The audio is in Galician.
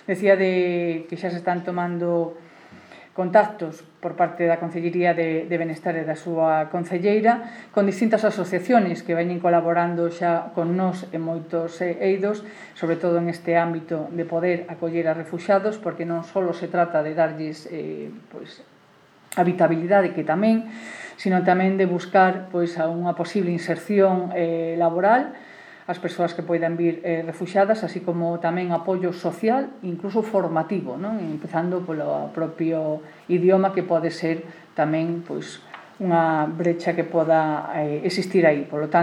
Decía que xa se están tomando contactos por parte da Concellería de Benestar e da súa concelleira con distintas asociaciones que veñen colaborando xa con nós en moitos eidos, sobre todo en este ámbito de poder acoller a refuxados, porque non só se trata de darlles habitabilidade, que tamén, sino tamén de buscar unha posible inserción laboral as persoas que poidan vir refuxadas, así como tamén apoio social, incluso formativo, non? Empezando polo propio idioma, que pode ser tamén unha brecha que poda existir aí. Por lo tanto,